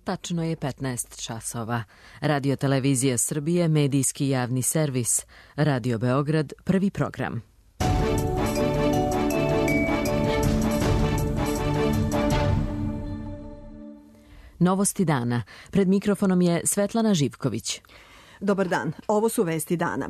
Tačno je 15 časova. Radio Televizija Srbije, medijski javni servis. Radio Beograd, prvi program. Novosti dana. Pred mikrofonom je Svetlana Živković. Dobar dan, ovo su vesti dana.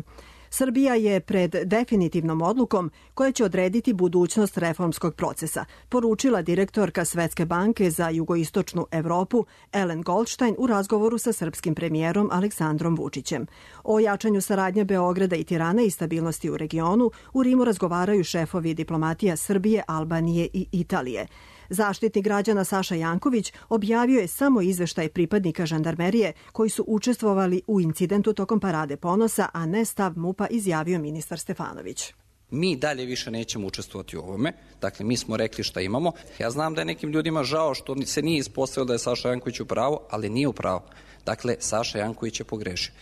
Srbija je pred definitivnom odlukom koja će odrediti budućnost reformskog procesa, poručila direktorka Svetske banke za jugoistočnu Evropu Ellen Goldstein u razgovoru sa srpskim premijerom Aleksandrom Vučićem. O jačanju saradnje Beograda i Tirane i stabilnosti u regionu u Rimu razgovaraju šefovi diplomatija Srbije, Albanije i Italije. Zaštitnik građana Saša Janković objavio je samo izveštaj pripadnika žandarmerije koji su učestvovali u incidentu tokom Parade ponosa, a ne stav MUP-a, izjavio ministar Stefanović. Mi dalje više nećemo učestvovati u ovome. Dakle, mi smo rekli šta imamo. Ja znam da je nekim ljudima žao što se nije ispostavilo da je Saša Janković u pravu, ali nije u pravu. Dakle, Saša Janković je pogrešio.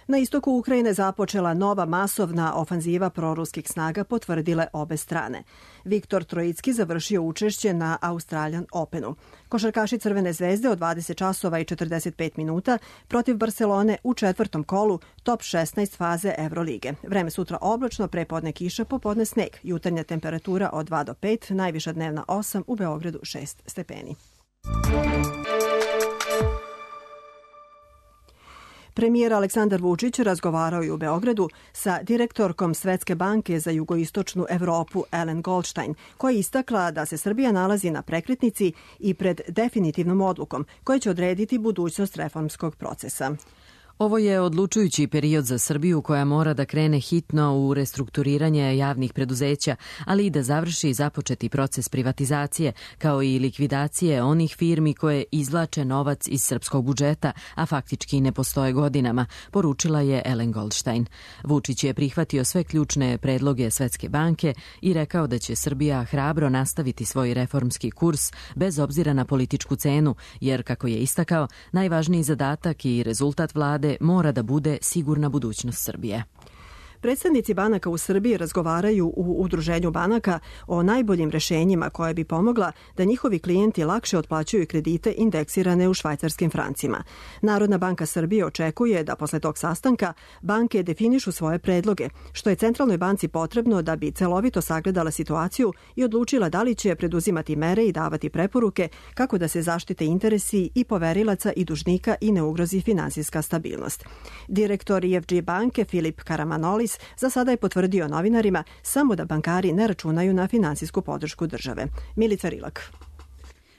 Na istoku Ukrajine započela nova masovna ofanziva proruskih snaga, potvrdile obe strane. Viktor Trojicki završio učešće na Australian Openu. Košarkaši Crvene zvezde od 20 časova i 45 minuta protiv Barcelone u četvrtom kolu top 16 faze Evrolige. Vreme sutra oblačno, prepodne kiša, popodne sneg. Jutarnja temperatura od 2 do 5, najviša dnevna 8, u Beogradu 6 stepeni. Premijer Aleksandar Vučić razgovarao je u Beogradu sa direktorkom Svetske banke za jugoistočnu Evropu Ellen Goldstein, koja je istakla da se Srbija nalazi na prekretnici i pred definitivnom odlukom koja će odrediti budućnost reformskog procesa. Ovo je odlučujući period za Srbiju koja mora da krene hitno u restrukturiranje javnih preduzeća, ali i da završi započeti proces privatizacije, kao i likvidacije onih firmi koje izvlače novac iz srpskog budžeta, a faktički ne postoje godinama, poručila je Ellen Goldstein. Vučić je prihvatio sve ključne predloge Svetske banke i rekao da će Srbija hrabro nastaviti svoj reformski kurs bez obzira na političku cenu, jer, kako je istakao, najvažniji zadatak i rezultat vlade mora da bude sigurna budućnost Srbije. Predstavnici banaka u Srbiji razgovaraju u Udruženju banaka o najboljim rešenjima koje bi pomogla da njihovi klijenti lakše otplaćuju kredite indeksirane u švajcarskim francima. Narodna banka Srbije očekuje da posle tog sastanka banke definišu svoje predloge, što je Centralnoj banci potrebno da bi celovito sagledala situaciju i odlučila da li će preduzimati mere i davati preporuke kako da se zaštite interesi i poverilaca i dužnika i ne ugrozi finansijska stabilnost. Direktor EFG banke Filip Karamanolis za sada je potvrdio novinarima samo da bankari ne računaju na finansijsku podršku države. Milica Rilak.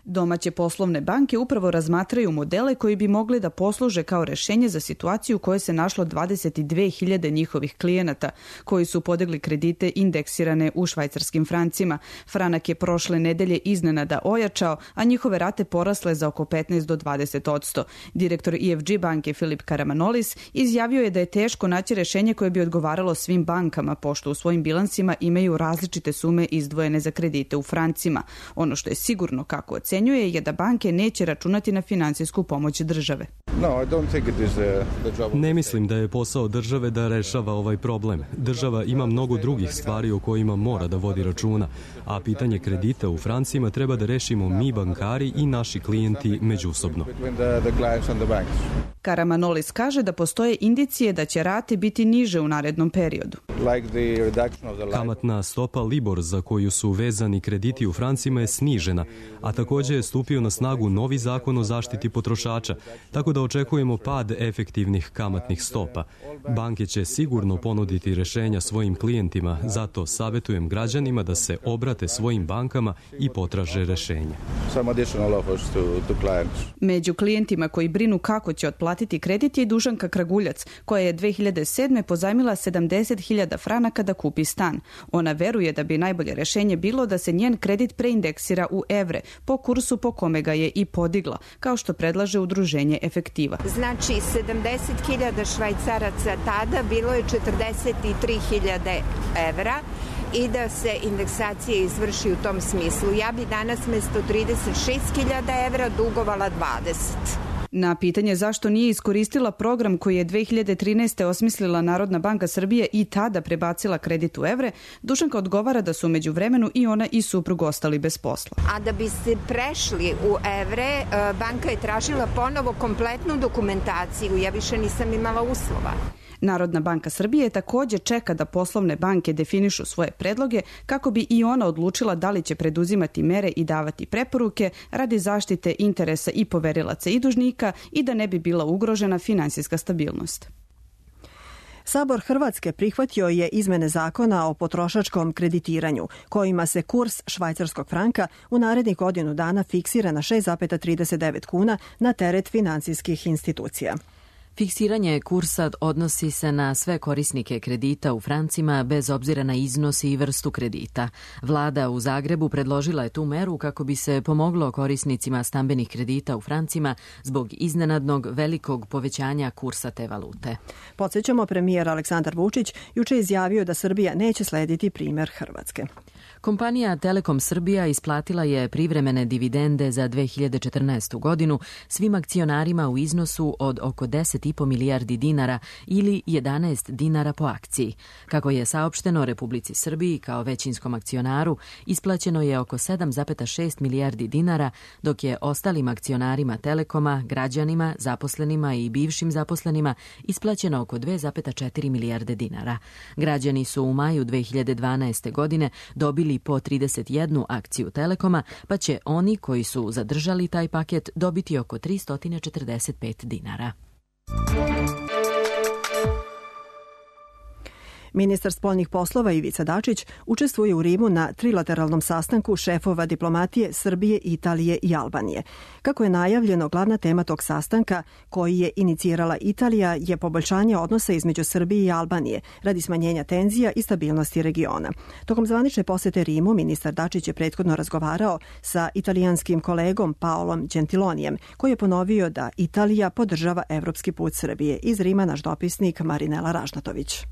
Domaće poslovne banke upravo razmatraju modele koji bi mogli da posluže kao rešenje za situaciju u kojoj se našlo 22.000 njihovih klijenata koji su podigli kredite indeksirane u švajcarskim francima. Franak je prošle nedelje iznenada ojačao, a njihove rate porasle za oko 15 do 20%. Direktor EFG banke Filip Karamanolis izjavio je da je teško naći rešenje koje bi odgovaralo svim bankama, pošto u svojim bilansima imaju različite sume izdvojene za kredite u francima. Ono što je sigurno, kako ocenjuje, je da banke neće računati na finansijsku pomoć države. Ne mislim da je posao države da rešava ovaj problem. Država ima mnogo drugih stvari o kojima mora da vodi računa, a pitanje kredita u francima treba da rešimo mi bankari i naši klijenti međusobno. Karamanolis kaže da postoje indicije da će rate biti niže u narednom periodu. Kamatna stopa Libor za koju su vezani krediti u francima je snižena, a također je stupio na snagu novi zakon o zaštiti potrošača, tako da očekujemo pad efektivnih kamatnih stopa. Banke će sigurno ponuditi rešenja svojim klijentima, zato savjetujem građanima da se obrate svojim bankama i potraže rešenje. Među klijentima koji brinu kako će otplatiti kredit je Dušanka Kraguljac, koja je 2007. pozajmila 70.000 franaka da kupi stan. Ona veruje da bi najbolje rešenje bilo da se njen kredit preindeksira u evre, po kursu po kome ga je i podigla, kao što predlaže udruženje Efektiva. Znači, 70.000 švajcaraca tada bilo je 43.000 evra i da se indeksacija izvrši u tom smislu. Ja bi danas mesto 36.000 evra dugovala 20. Na pitanje zašto nije iskoristila program koji je 2013. osmislila Narodna banka Srbije i tada prebacila kredit u evre, Dušanka odgovara da su među vremenu i ona i suprug ostali bez posla. A da bi se prešli u evre, banka je tražila ponovo kompletnu dokumentaciju. Ja više nisam imala uslova. Narodna banka Srbije takođe čeka da poslovne banke definišu svoje predloge kako bi i ona odlučila da li će preduzimati mere i davati preporuke radi zaštite interesa i poverilaca i dužnika i da ne bi bila ugrožena finansijska stabilnost. Sabor Hrvatske prihvatio je izmene zakona o potrošačkom kreditiranju, kojima se kurs švajcarskog franka u narednih godinu dana fiksira na 6,39 kuna na teret finansijskih institucija. Fiksiranje kursa odnosi se na sve korisnike kredita u francima bez obzira na iznos i vrstu kredita. Vlada u Zagrebu predložila je tu meru kako bi se pomoglo korisnicima stambenih kredita u francima zbog iznenadnog velikog povećanja kursa te valute. Podsjećamo, premijer Aleksandar Vučić juče izjavio da Srbija neće slediti primer Hrvatske. Kompanija Telekom Srbija isplatila je privremene dividende za 2014. godinu svim akcionarima u iznosu od oko 10,5 milijardi dinara ili 11 dinara po akciji. Kako je saopšteno Republici Srbiji kao većinskom akcionaru, isplaćeno je oko 7,6 milijardi dinara, dok je ostalim akcionarima Telekoma, građanima, zaposlenima i bivšim zaposlenima isplaćeno oko 2,4 milijarde dinara. Građani su u maju 2012. godine dobili po 31 akciju Telekoma, pa će oni koji su zadržali taj paket dobiti oko 345 dinara. Ministar spoljnih poslova Ivica Dačić učestvuje u Rimu na trilateralnom sastanku šefova diplomatije Srbije, Italije i Albanije. Kako je najavljeno, glavna tema tog sastanka, koji je inicirala Italija, je poboljšanje odnosa između Srbije i Albanije radi smanjenja tenzija i stabilnosti regiona. Tokom zvanične posete Rimu, ministar Dačić je prethodno razgovarao sa italijanskim kolegom Paolom Gentilonijem, koji je ponovio da Italija podržava evropski put Srbije. Iz Rima naš dopisnik Marinela Ražnatović.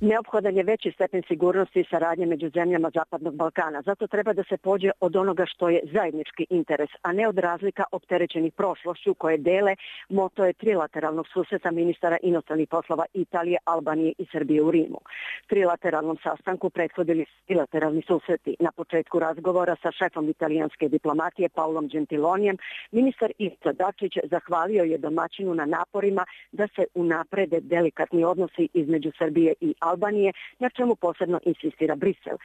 Neophodan je veći stepen sigurnosti i saradnje među zemljama Zapadnog Balkana. Zato treba da se pođe od onoga što je zajednički interes, a ne od razlika opterećenih prošlošću koje dele. Moto je trilateralnog susreta ministara inostranih poslova Italije, Albanije i Srbije u Rimu. Trilateralnom sastanku prethodili trilateralni susreti. Na početku razgovora sa šefom italijanske diplomatije Paolom Gentilonijem, ministar Ivica Dačić zahvalio je domaćinu na naporima da se unaprede delikatni odnosi između Srbije i Albanije, na čemu posebno insistira Brisel.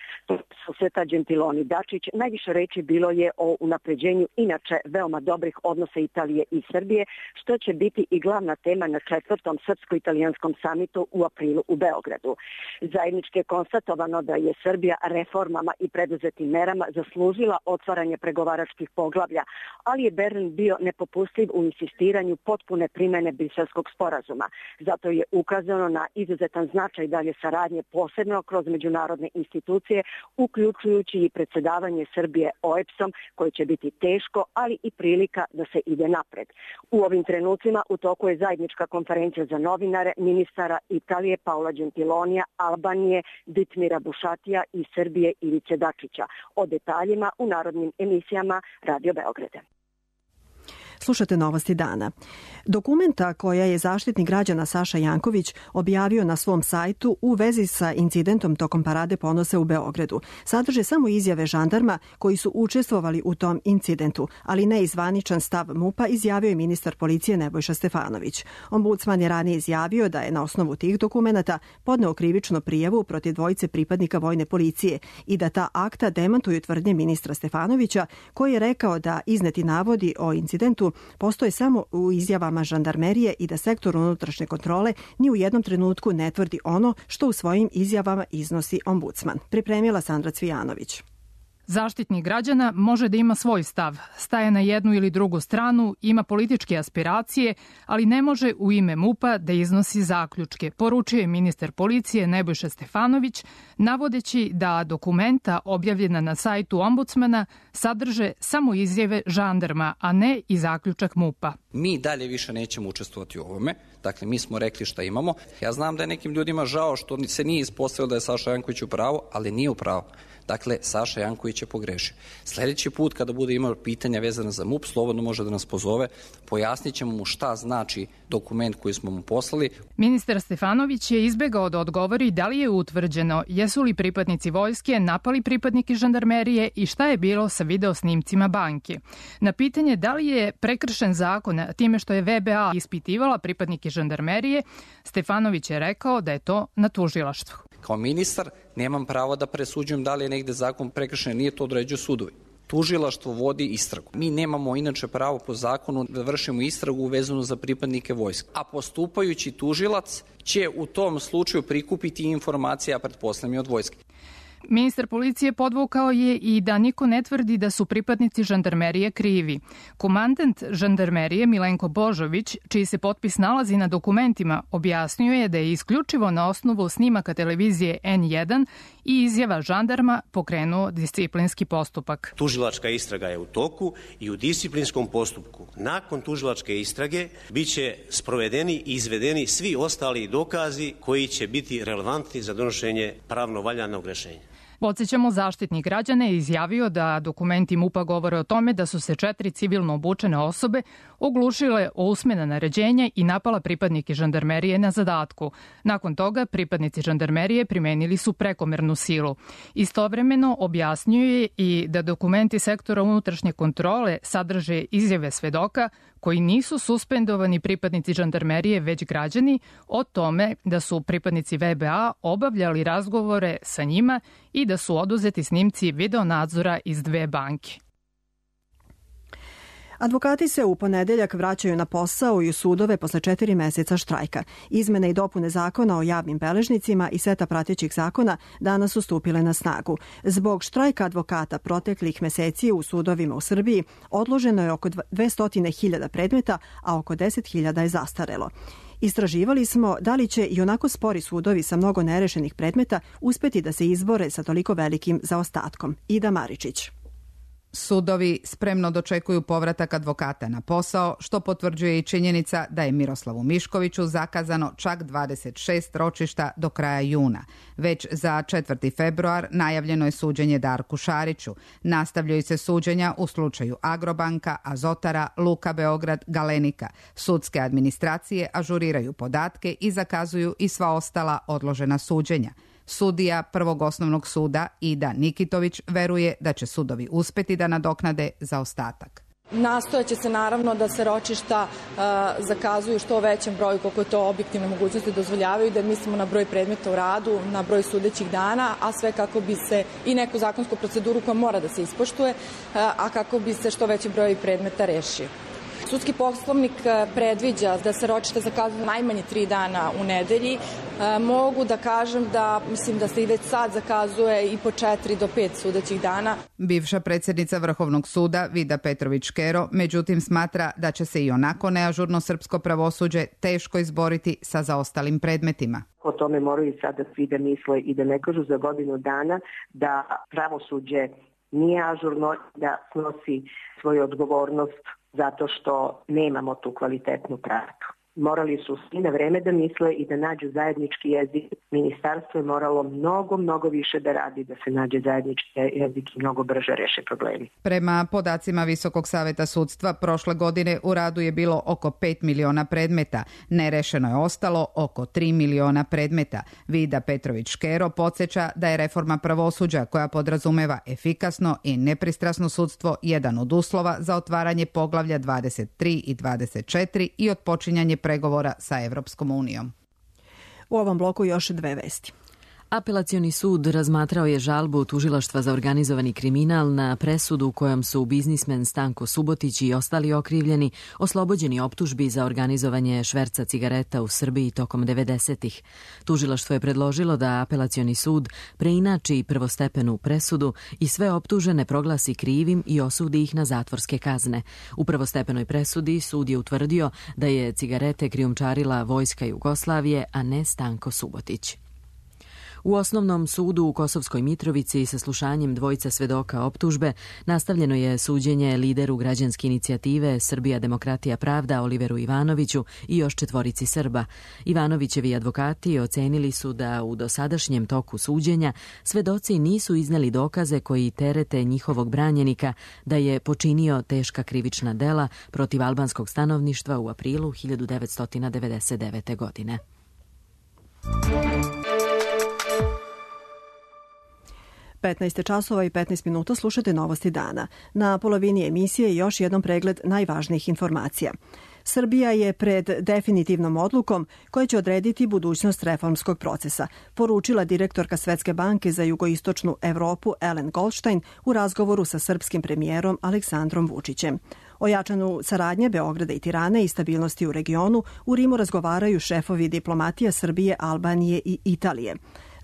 Susreta Gentiloni Dačić najviše reči bilo je o unapređenju inače veoma dobrih odnosa Italije i Srbije, što će biti i glavna tema na 4. srpsko-italijanskom samitu u aprilu u Beogradu. Zajednički je konstatovano da je Srbija reformama i preduzetim merama zaslužila otvaranje pregovaračkih poglavlja, ali je Berlin bio nepopustljiv u insistiranju potpune primene Briselskog sporazuma. Zato je ukazano na izuzetan značaj dalje saradnje, posebno kroz međunarodne institucije, uključujući i predsjedavanje Srbije OEBS-om, koje će biti teško, ali i prilika da se ide napred. U ovim trenucima u toku je zajednička konferencija za novinare ministara Italije Paola Gentilonija, Albanije Ditmira Bušatija i Srbije Ivice Dačića. O detaljima u narodnim emisijama Radio Beograda. Slušate novosti dana. Dokumenta koja je Zaštitnik građana Saša Janković objavio na svom sajtu u vezi sa incidentom tokom Parade ponosa u Beogradu sadrže samo izjave žandarma koji su učestvovali u tom incidentu, ali ne i zvaničan stav MUP-a, izjavio je ministar policije Nebojša Stefanović. Ombudsman je ranije izjavio da je na osnovu tih dokumenata podneo krivičnu prijavu protiv dvojice pripadnika vojne policije i da ta akta demantuju tvrdnje ministra Stefanovića, koji je rekao da izneti navodi o incidentu postoje samo u izjavama žandarmerije i da sektor unutrašnje kontrole ni u jednom trenutku ne tvrdi ono što u svojim izjavama iznosi ombudsman. Pripremila Sandra Cvijanović. Zaštitnik građana može da ima svoj stav, staje na jednu ili drugu stranu, ima političke aspiracije, ali ne može u ime MUP-a da iznosi zaključke, poručuje ministar policije Nebojša Stefanović, navodeći da dokumenta objavljena na sajtu ombudsmana sadrže samo izjave žandarma, a ne i zaključak MUP-a. Mi dalje više nećemo učestvovati u ovome. Dakle, mi smo rekli šta imamo. Ja znam da je nekim ljudima žao što se nije ispostavilo da je Saša Janković u pravu, ali nije u pravu. Dakle, Saša Janković je pogrešio. Sledeći put kada bude imao pitanja vezana za MUP, slobodno može da nas pozove, pojasnit ćemo mu šta znači dokument koji smo mu poslali. Ministar Stefanović je izbegao da odgovori da li je utvrđeno jesu li pripadnici vojske napali pripadnike žandarmerije i šta je bilo sa videosnimcima banke. Na pitanje da li je prekršen zakon time što je VBA ispitivala pripadnike žandarmerije, Stefanović je rekao da je to na tužilaštvu. Kao ministar nemam pravo da presuđujem da li je negde zakon prekršen, nije to određuju sudovi. Tužilaštvo vodi istragu. Mi nemamo inače pravo po zakonu da vršimo istragu vezanu za pripadnike vojske. A postupajući tužilac će u tom slučaju prikupiti informacije, a pretpostavljam i od vojske. Ministar policije podvukao je i da niko ne tvrdi da su pripadnici žandarmerije krivi. Komandant žandarmerije Milenko Božović, čiji se potpis nalazi na dokumentima, objasnio je da je isključivo na osnovu snimaka televizije N1 i izjava žandarma pokrenuo disciplinski postupak. Tužilačka istraga je u toku i u disciplinskom postupku nakon tužilačke istrage biće sprovedeni i izvedeni svi ostali dokazi koji će biti relevantni za donošenje pravno valjanog rešenja. Podsećamo, Zaštitnik građana je izjavio da dokumenti MUP-a govore o tome da su se 4 civilno obučene osobe oglušile o usmena naređenja i napala pripadnike žandarmerije na zadatku. Nakon toga, pripadnici žandarmerije primenili su prekomernu silu. Istovremeno objasnio je i da dokumenti sektora unutrašnje kontrole sadrže izjave svedoka koji nisu suspendovani pripadnici žandarmerije, već građani, o tome da su pripadnici VBA obavljali razgovore sa njima i da su oduzeti snimci videonadzora iz 2 banke. Advokati se u ponedeljak vraćaju na posao i u sudove posle 4 meseca štrajka. Izmene i dopune zakona o javnim beležnicima i seta pratećih zakona danas su stupile na snagu. Zbog štrajka advokata proteklih meseci u sudovima u Srbiji odloženo je oko 200.000 predmeta, a oko 10.000 je zastarelo. Istraživali smo da li će i onako spori sudovi sa mnogo nerešenih predmeta uspeti da se izbore sa toliko velikim zaostatkom. Ida Maričić. Sudovi spremno dočekuju povratak advokata na posao, što potvrđuje i činjenica da je Miroslavu Miškoviću zakazano čak 26 ročišta do kraja juna. Već za 4. februar najavljeno je suđenje Darku Šariću. Nastavljaju se suđenja u slučaju Agrobanka, Azotara, Luka Beograd, Galenika. Sudske administracije ažuriraju podatke i zakazuju i sva ostala odložena suđenja. Sudija Prvog osnovnog suda Ida Nikitović veruje da će sudovi uspeti da nadoknade zaostatak. Nastojaće se naravno da se ročišta zakazuju što većem broju koliko to objektivne mogućnosti dozvoljavaju, da mislimo na broj predmeta u radu, na broj sudećih dana, a sve kako bi se i neku zakonsku proceduru koja mora da se ispoštuje, a kako bi se što veći broj predmeta rešio. Sudski poslovnik predviđa da se ročišta zakazuju najmanje 3 dana u nedelji. Mogu da kažem da mislim da se i već sad zakazuje i po 4 do 5 sudećih dana. Bivša predsjednica Vrhovnog suda Vida Petrović-Škero međutim smatra da će se i onako neažurno srpsko pravosuđe teško izboriti sa zaostalim predmetima. O tome moraju sada svi da misle i da ne kažu za godinu dana da pravosuđe nije ažurno, da snosi svoju odgovornost zato što nemamo tu kvalitetnu pravdu. Morali su svi na vreme da misle i da nađu zajednički jezik. Ministarstvo je moralo mnogo više da radi da se nađe zajednički jezik i mnogo brže reše problemi. Prema podacima Visokog saveta sudstva, prošle godine u radu je bilo oko 5 miliona predmeta. Nerešeno je ostalo oko 3 miliona predmeta. Vida Petrović-Škero podsjeća da je reforma pravosuđa koja podrazumeva efikasno i nepristrasno sudstvo jedan od uslova za otvaranje poglavlja 23 i 24 i otpočinjanje pregovora sa Evropskom unijom. U ovom bloku još 2 vesti. Apelacioni sud razmatrao je žalbu Tužilaštva za organizovani kriminal na presudu kojom su biznismen Stanko Subotić i ostali okrivljeni oslobođeni optužbi za organizovanje šverca cigareta u Srbiji tokom 90-ih. Tužilaštvo je predložilo da apelacioni sud preinači prvostepenu presudu i sve optužene proglasi krivim i osudi ih na zatvorske kazne. U prvostepenoj presudi sud je utvrdio da je cigarete krijumčarila Vojska Jugoslavije, a ne Stanko Subotić. U osnovnom sudu u Kosovskoj Mitrovici sa slušanjem dvojica svedoka optužbe nastavljeno je suđenje lideru građanske inicijative Srbija demokratija pravda Oliveru Ivanoviću i još 4 Srba. Ivanovićevi advokati ocenili su da u dosadašnjem toku suđenja svedoci nisu izneli dokaze koji terete njihovog branjenika da je počinio teška krivična dela protiv albanskog stanovništva u aprilu 1999. godine. 15 časova i 15 minuta slušate novosti dana. Na polovini emisije još jednom pregled najvažnijih informacija. Srbija je pred definitivnom odlukom koja će odrediti budućnost reformskog procesa, poručila direktorka Svetske banke za jugoistočnu Evropu Ellen Goldstein u razgovoru sa srpskim premijerom Aleksandrom Vučićem. O jačanju saradnje Beograda i Tirane i stabilnosti u regionu u Rimu razgovaraju šefovi diplomatija Srbije, Albanije i Italije.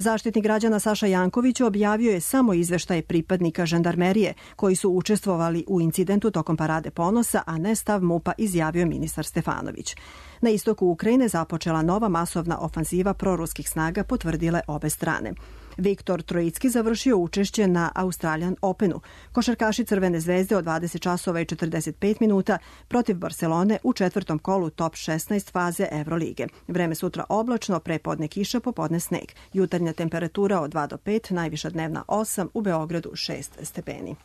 Zaštitnik građana Saša Janković objavio je samo izveštaje pripadnika žandarmerije koji su učestvovali u incidentu tokom Parade ponosa, a ne stav MUP-a, izjavio ministar Stefanović. Na istoku Ukrajine započela nova masovna ofanziva proruskih snaga, potvrdile obe strane. Viktor Trojicki završio učešće na Australian Openu. Košarkaši Crvene zvezde od 20 časova i 45 minuta protiv Barcelone u 4. kolu top 16 faze Evrolige. Vreme sutra oblačno, prepodne kiša, popodne sneg. Jutarnja temperatura od 2 do 5, najviša dnevna 8, u Beogradu 6 stepeni.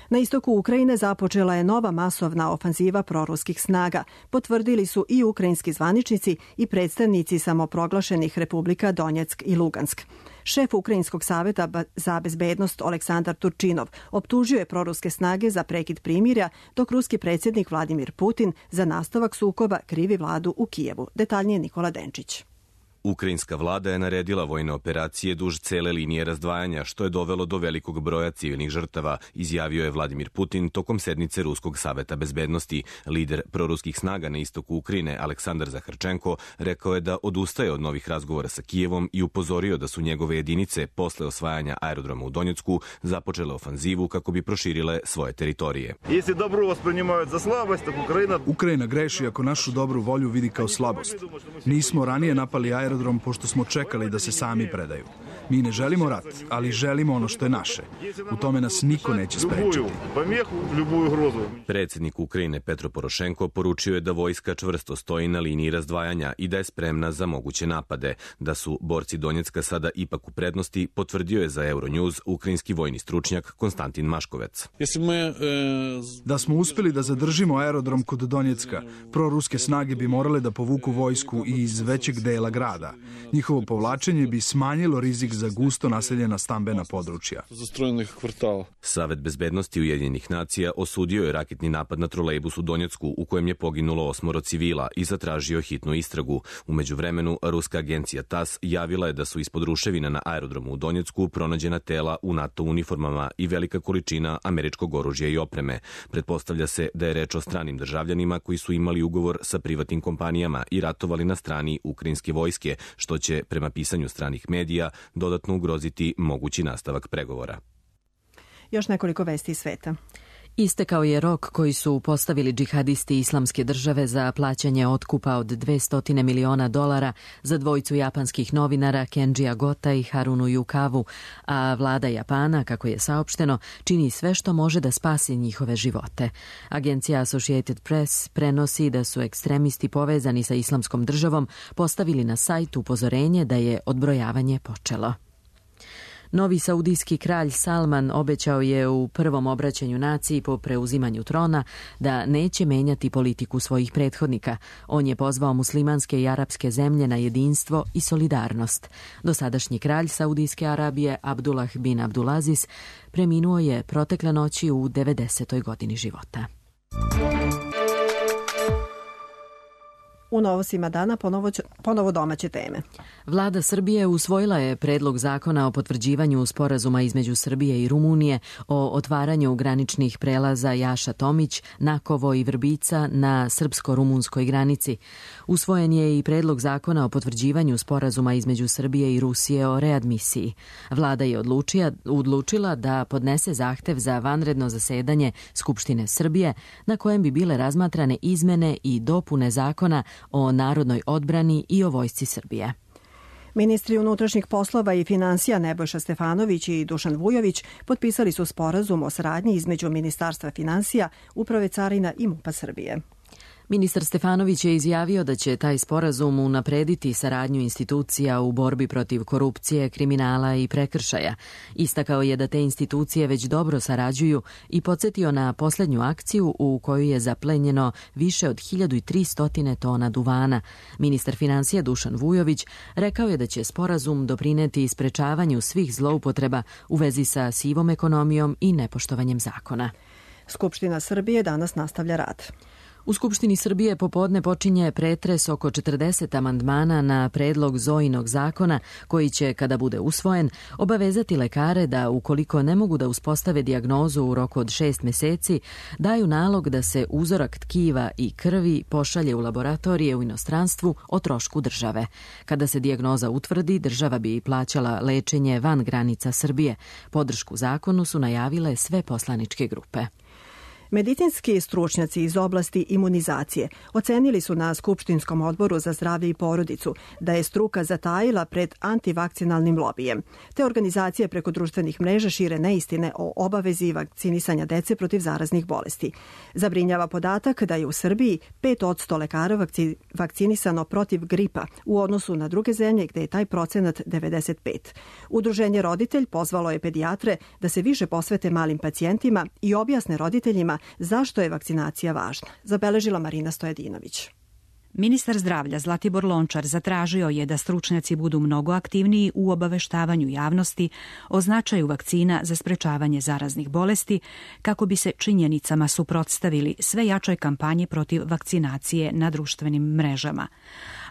Na istoku Ukrajine započela je nova masovna ofanziva proruskih snaga, potvrdili su i ukrajinski zvaničnici i predstavnici samoproglašenih republika Donjeck i Lugansk. Šef Ukrajinskog saveta za bezbednost Aleksandar Turčinov optužio je proruske snage za prekid primirja, dok ruski predsjednik Vladimir Putin za nastavak sukoba krivi vladu u Kijevu. Detaljnije Nikola Denčić. Ukrajinska vlada je naredila vojne operacije duž cele linije razdvajanja, što je dovelo do velikog broja civilnih žrtava, izjavio je Vladimir Putin tokom sednice Ruskog saveta bezbednosti. Lider proruskih snaga na istoku Ukrajine, Aleksandar Zaharčenko, rekao je da odustaje od novih razgovora sa Kijevom i upozorio da su njegove jedinice posle osvajanja aerodroma u Donjecku započele ofanzivu kako bi proširile svoje teritorije. Ukrajina greši ako našu dobru volju vidi kao slabost. Nismo ranije napali aerodrom pošto smo čekali da se sami predaju. Mi ne želimo rat, ali želimo ono što je naše. U tome nas niko neće sprečiti. Predsjednik Ukrajine Petro Porošenko poručio je da vojska čvrsto stoji na liniji razdvajanja i da je spremna za moguće napade. Da su borci Donjecka sada ipak u prednosti, potvrdio je za Euronews ukrajinski vojni stručnjak Konstantin Maškovec. Da smo uspeli da zadržimo aerodrom kod Donjecka, proruske snage bi morale da povuku vojsku iz većeg dela grada. Njihovo povlačenje bi smanjilo rizik za gusto naseljena stambena područja. Savet bezbednosti Ujedinjenih nacija osudio je raketni napad na trolejbus u Donjecku u kojem je poginulo 8 civila i zatražio hitnu istragu. U međuvremenu, ruska agencija TASS javila je da su ispod ruševina na aerodromu u Donjecku pronađena tela u NATO uniformama i velika količina američkog oružja i opreme. Pretpostavlja se da je reč o stranim državljanima koji su imali ugovor sa privatnim kompanijama i ratovali na strani ukrajinske vojske, što će, prema pisanju stranih medija, dodatno ugroziti mogući nastavak pregovora. Još nekoliko vesti iz sveta. Istekao je rok koji su postavili džihadisti Islamske države za plaćanje otkupa od $200 miliona za dvojicu japanskih novinara Kenjija Gota i Harunu Yukavu, a vlada Japana, kako je saopšteno, čini sve što može da spasi njihove živote. Agencija Associated Press prenosi da su ekstremisti povezani sa Islamskom državom postavili na sajt upozorenje da je odbrojavanje počelo. Novi saudijski kralj Salman obećao je u prvom obraćanju naciji po preuzimanju trona da neće menjati politiku svojih prethodnika. On je pozvao muslimanske i arapske zemlje na jedinstvo i solidarnost. Dosadašnji kralj Saudijske Arabije Abdullah bin Abdulaziz preminuo je protekle noći u 90. godini života. U novostima dana ponovo domaće teme. Vlada Srbije usvojila je predlog zakona o potvrđivanju sporazuma između Srbije i Rumunije o otvaranju graničnih prelaza Jaša Tomić, Nakovo i Vrbica na srpsko-rumunskoj granici. Usvojen je i predlog zakona o potvrđivanju sporazuma između Srbije i Rusije o readmisiji. Vlada je odlučila da podnese zahtev za vanredno zasedanje Skupštine Srbije na kojem bi bile razmatrane izmene i dopune zakona o narodnoj odbrani i o vojsci Srbije. Ministri unutrašnjih poslova i finansija Nebojša Stefanović i Dušan Vujović potpisali su sporazum o saradnji između Ministarstva finansija, Uprave carina i MUP-a Srbije. Ministar Stefanović je izjavio da će taj sporazum unaprediti saradnju institucija u borbi protiv korupcije, kriminala i prekršaja. Istakao je da te institucije već dobro sarađuju i podsjetio na poslednju akciju u kojoj je zaplenjeno više od 1300 tona duvana. Ministar finansija Dušan Vujović rekao je da će sporazum doprineti sprečavanju svih zloupotreba u vezi sa sivom ekonomijom i nepoštovanjem zakona. Skupština Srbije danas nastavlja rad. U Skupštini Srbije popodne počinje pretres oko 40 amandmana na predlog Zojinog zakona koji će, kada bude usvojen, obavezati lekare da, ukoliko ne mogu da uspostave dijagnozu u roku od 6 meseci, daju nalog da se uzorak tkiva i krvi pošalje u laboratorije u inostranstvu o trošku države. Kada se dijagnoza utvrdi, država bi plaćala lečenje van granica Srbije. Podršku zakonu su najavile sve poslaničke grupe. Medicinski stručnjaci iz oblasti imunizacije ocenili su na Skupštinskom odboru za zdravlje i porodicu da je struka zatajila pred antivakcinalnim lobijem. Te organizacije preko društvenih mreža šire neistine o obavezi vakcinisanja dece protiv zaraznih bolesti. Zabrinjava podatak da je u Srbiji 5% lekara vakcinisano protiv gripa u odnosu na druge zemlje gde je taj procenat 95. Udruženje Roditelj pozvalo je pedijatre da se više posvete malim pacijentima i objasne roditeljima zašto je vakcinacija važna, zabeležila Marina Stojadinović. Ministar zdravlja Zlatibor Lončar zatražio je da stručnjaci budu mnogo aktivniji u obaveštavanju javnosti o značaju vakcina za sprečavanje zaraznih bolesti kako bi se činjenicama suprotstavili sve jačoj kampanji protiv vakcinacije na društvenim mrežama.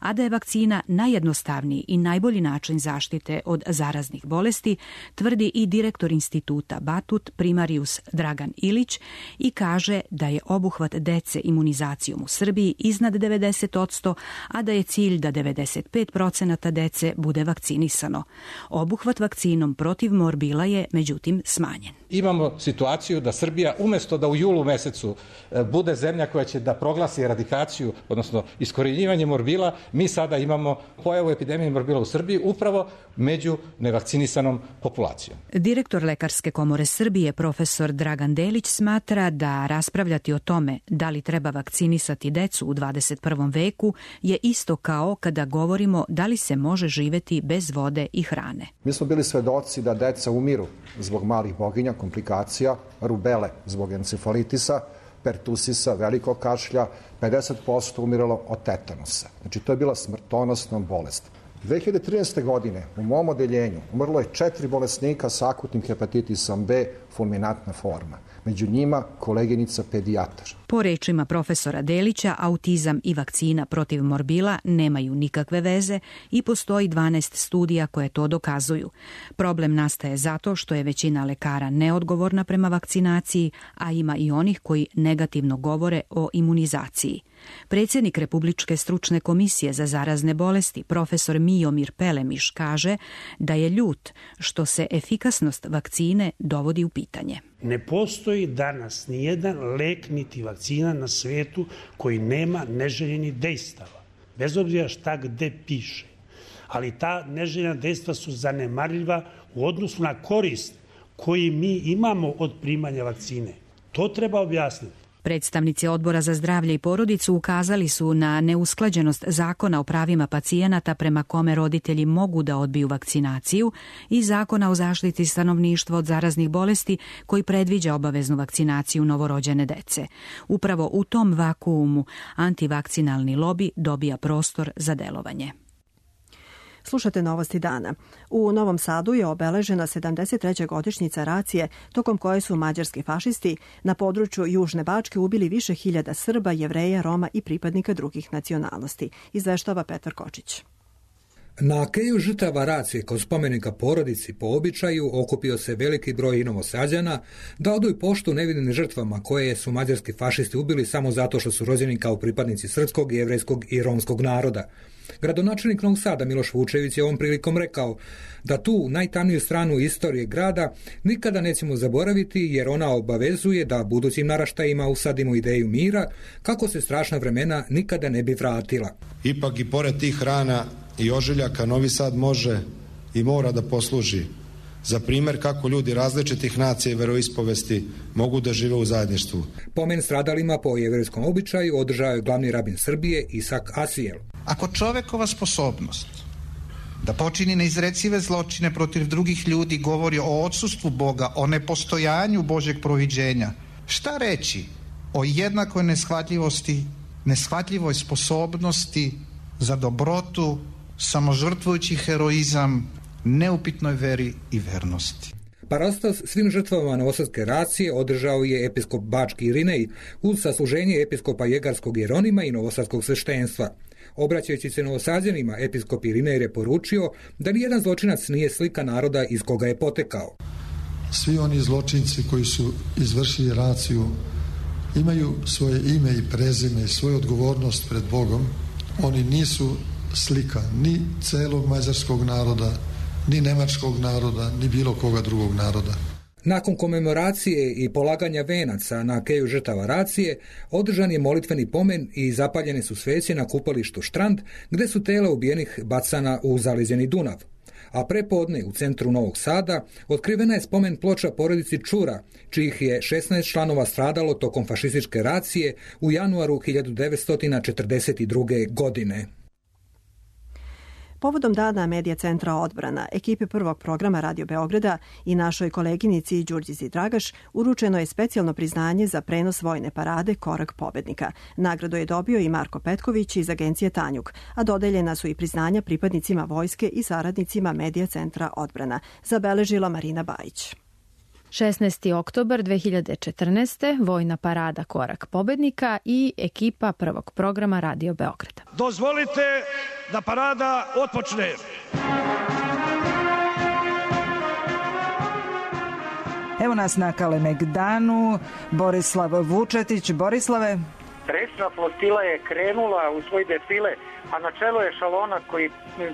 A da je vakcina najjednostavniji i najbolji način zaštite od zaraznih bolesti, tvrdi i direktor instituta Batut primarius Dragan Ilić i kaže da je obuhvat dece imunizacijom u Srbiji iznad 90%, a da je cilj da 95% dece bude vakcinisano. Obuhvat vakcinom protiv morbila je međutim smanjen. Imamo situaciju da Srbija umesto da u julu mesecu bude zemlja koja će da proglasi eradikaciju, odnosno iskorjenjivanje morbila, mi sada imamo pojavu epidemije morbila u Srbiji upravo među nevakcinisanom populacijom. Direktor Lekarske komore Srbije, profesor Dragan Delić, smatra da raspravljati o tome da li treba vakcinisati decu u 21. veku je isto kao kada govorimo da li se može živeti bez vode i hrane. Mi smo bili svedoci da deca umiru zbog malih boginja, komplikacija, rubele zbog encefalitisa, pertusisa, velikog kašlja, 50% umiralo od tetanusa. Znači, to je bila smrtonosna bolest. 2013. godine u mom odeljenju umrlo je 4 bolesnika sa akutnim hepatitisom B, fulminantna forma. Među njima koleginica pedijatar. Po rečima profesora Delića, autizam i vakcina protiv morbila nemaju nikakve veze i postoji 12 studija koje to dokazuju. Problem nastaje zato što je većina lekara neodgovorna prema vakcinaciji, a ima i onih koji negativno govore o imunizaciji. Predsjednik Republičke stručne komisije za zarazne bolesti, profesor Mijomir Pelemiš, kaže da je ljut što se efikasnost vakcine dovodi u pitanje. Ne postoji danas nijedan lek niti vakcina na svetu koji nema neželjenih dejstava, bez obzira šta gde piše. Ali ta neželjena dejstva su zanemarljiva u odnosu na korist koji mi imamo od primanja vakcine. To treba objasniti. Predstavnici Odbora za zdravlje i porodicu ukazali su na neusklađenost zakona o pravima pacijenata prema kome roditelji mogu da odbiju vakcinaciju i zakona o zaštiti stanovništva od zaraznih bolesti koji predviđa obaveznu vakcinaciju novorođene dece. Upravo u tom vakuumu antivakcinalni lobi dobija prostor za delovanje. Slušate novosti dana. U Novom Sadu je obeležena 73. godišnjica racije tokom koje su mađarski fašisti na području Južne Bačke ubili više hiljada Srba, Jevreja, Roma i pripadnika drugih nacionalnosti, izveštava Petar Kočić. Na keju žrtava racije kod spomenika porodici po običaju okupio se veliki broj Novosađana da oduju poštu nevinim žrtvama koje su mađarski fašisti ubili samo zato što su rođeni kao pripadnici srpskog, jevrejskog i romskog naroda. Gradonačelnik Novog Sada Miloš Vučević je ovom prilikom rekao da tu najtamniju stranu istorije grada nikada nećemo zaboraviti jer ona obavezuje da budućim naraštajima usadimo ideju mira kako se strašna vremena nikada ne bi vratila. Ipak i pored tih rana i ožiljaka Novi Sad može i mora da posluži za primjer kako ljudi različitih nacija i veroispovesti mogu da žive u zajedništvu. Pomen stradalima po jevrejskom običaju održao je glavni rabin Srbije Isak Asijel. Ako čovekova sposobnost da počini neizrecive zločine protiv drugih ljudi govori o odsustvu Boga, o nepostojanju Božjeg proviđenja, šta reći o jednakoj neshvatljivosti, neshvatljivoj sposobnosti za dobrotu, samožrtvujući heroizam, neupitnoj veri i vernosti. Parastos svim žrtvama novosadske racije održao je episkop Bački Irinej uz sasluženje episkopa Jegarskog Jeronima i novosadskog sveštenstva. Obraćajući se Novosađanima, episkop Irinej je poručio da nijedan zločinac nije slika naroda iz koga je potekao. Svi oni zločinci koji su izvršili raciju imaju svoje ime i prezime i svoju odgovornost pred Bogom. Oni nisu slika ni celog mađarskog naroda, ni nemačkog naroda, ni bilo koga drugog naroda. Nakon komemoracije i polaganja venaca na keju žrtava racije, održan je molitveni pomen i zapaljene su sveće na kupalištu Štrand, gde su tela ubijenih bacana u zaleđeni Dunav. A prepodne u centru Novog Sada otkrivena je spomen ploča porodici Čura, čijih je 16 članova stradalo tokom fašističke racije u januaru 1942. godine. Povodom dana Medija centra Odbrana, ekipi prvog programa Radio Beograda i našoj koleginici Đurđici Dragaš uručeno je specijalno priznanje za prenos vojne parade Korak pobednika. Nagradu je dobio i Marko Petković iz agencije Tanjug, a dodeljena su i priznanja pripadnicima vojske i saradnicima Medija centra Odbrana, zabeležila Marina Bajić. 16. oktobar 2014. Vojna parada Korak pobednika i ekipa prvog programa Radio Beograda. Dozvolite da parada otpočne. Evo nas na Kalemegdanu, Borislav Vučetić. Borislave. Rečna flotila je krenula u svoj defile, a na čelu je šalona koji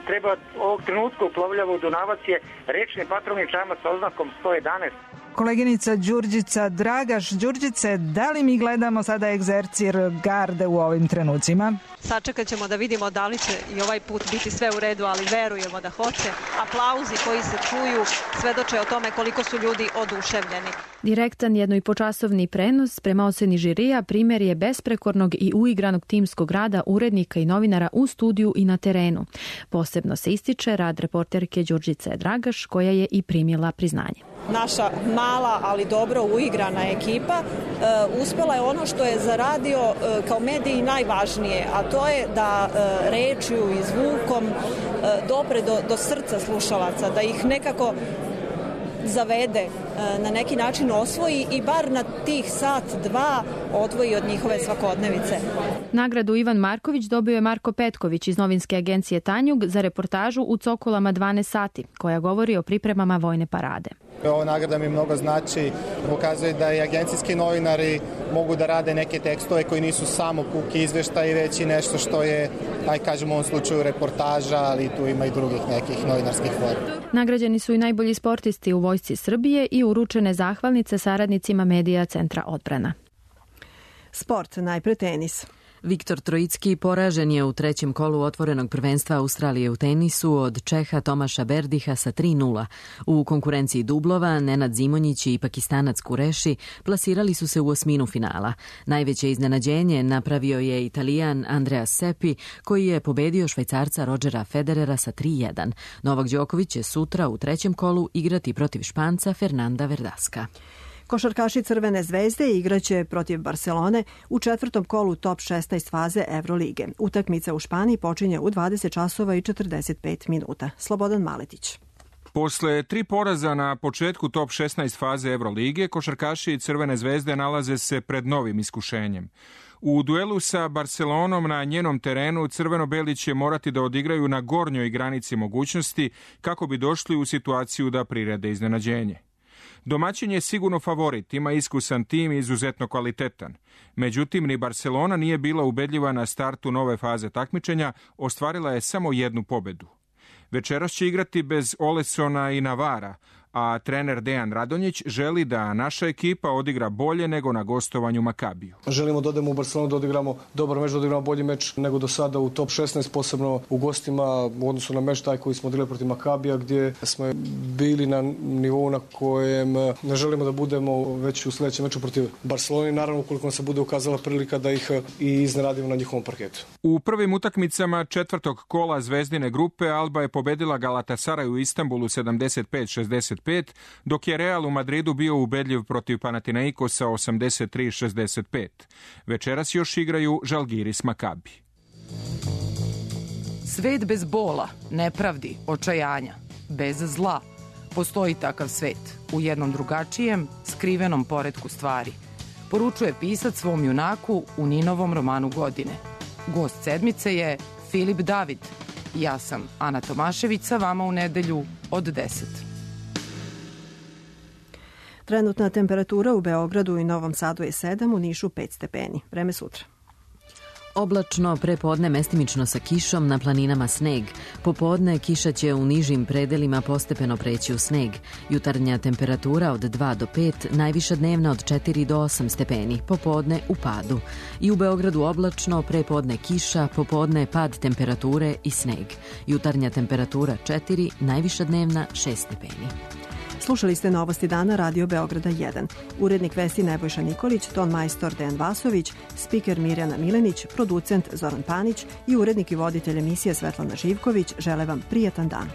treba ovog trenutka uplovljava u Dunavac je rečni patrolni čamac sa oznakom 111. Koleginica Đurđica Dragaš. Đurđice, da li mi gledamo sada egzercir garde u ovim trenucima? Sačekat ćemo da vidimo da li će i ovaj put biti sve u redu, ali verujemo da hoće. Aplauzi koji se čuju svedoče o tome koliko su ljudi oduševljeni. Direktan 1,5-časovni prenos prema oceni žirija primjer je besprekornog i uigranog timskog rada urednika i novinara u studiju i na terenu. Posebno se ističe rad reporterke Đurđice Dragaš, koja je i primila priznanje. Naša mala, ali dobro uigrana ekipa uspela je ono što je za radio kao mediji najvažnije, a to je da rečju i zvukom dopre do srca slušalaca, da ih nekako zavede, na neki način osvoji i bar na tih sat, dva odvoji od njihove svakodnevice. Nagradu Ivan Marković dobio je Marko Petković iz novinske agencije Tanjug za reportažu U cokolama 12 sati, koja govori o pripremama vojne parade. Ova nagrada mi mnogo znači, pokazuje da i agencijski novinari mogu da rade neke tekstove koji nisu samo puki izveštaji, već i nešto što je, aj kažemo u ovom slučaju, reportaža, ali tu ima i drugih nekih novinarskih forma. Nagrađeni su i najbolji sportisti u Vojsci Srbije i uručene zahvalnice saradnicima Medija centra Odbrana. Sport, najpre tenis. Viktor Trojicki poražen je u trećem kolu otvorenog prvenstva Australije u tenisu od Čeha Tomaša Berdiha sa 3:0. U konkurenciji dublova Nenad Zimonjić i Pakistanac Kureši plasirali su se u osminu finala. Najveće iznenađenje napravio je Italijan Andreas Seppi, koji je pobedio Švajcarca Rodgera Federera sa 3:1. Novak Đoković će sutra u trećem kolu igrati protiv Španca Fernanda Verdaska. Košarkaši Crvene zvezde igraće protiv Barcelone u četvrtom kolu top 16 faze Evrolige. Utakmica u Španiji počinje u 20 časova i 45 minuta. Slobodan Maletić. Posle 3 poraza na početku top 16 faze Evrolige, košarkaši Crvene zvezde nalaze se pred novim iskušenjem. U duelu sa Barcelonom na njenom terenu crveno-beli će morati da odigraju na gornjoj granici mogućnosti kako bi došli u situaciju da prirede iznenađenje. Domaćin je sigurno favorit, ima iskusan tim i izuzetno kvalitetan. Međutim, ni Barcelona nije bila ubedljiva na startu nove faze takmičenja, ostvarila je samo jednu pobedu. Večeras će igrati bez Olesona i Navara, a trener Dejan Radonjić želi da naša ekipa odigra bolje nego na gostovanju Makabiju. Želimo da odemo u Barcelonu, da odigramo dobar meč, da odigramo bolji meč nego do sada u top 16, posebno u gostima u odnosu na meč taj koji smo odigrali protiv Makabija, gdje smo bili na nivou na kojem ne želimo da budemo već u sljedećem meču protiv Barcelone, naravno ukoliko nam se bude ukazala prilika da ih i iznenadimo na njihovom parketu. U prvim utakmicama četvrtog kola Zvezdine grupe Alba je pobedila Galatasaray u Istanbulu 75-65, dok je Real u Madridu bio ubedljiv protiv Panathinaikosa 83-65. Večeras još igraju Žalgiris Makabi. Svet bez bola, nepravdi, očajanja, bez zla. Postoji takav svet, u jednom drugačijem, skrivenom poretku stvari. Poručuje pisac svom junaku u Ninovom romanu Godine. Gost sedmice je Filip David. Ja sam Ana Tomašević, sa vama u nedelju od 10. Trenutna temperatura u Beogradu i Novom Sadu je 7, u Nišu 5 stepeni. Vreme sutra. Oblačno, prepodne mestimično sa kišom, na planinama sneg. Popodne kiša će u nižim predelima postepeno preći u sneg. Jutarnja temperatura od 2 do 5, najviša dnevna od 4 do 8 stepeni. Popodne u padu. I u Beogradu oblačno, prepodne kiša, popodne pad temperature i sneg. Jutarnja temperatura 4, najviša dnevna 6 stepeni. Slušali ste Novosti dana Radio Beograda 1. Urednik vesti Nebojša Nikolić, ton majstor Dejan Vasović, spiker Mirjana Milenić, producent Zoran Panić i urednik i voditelj emisije Svetlana Živković žele vam prijatan dan.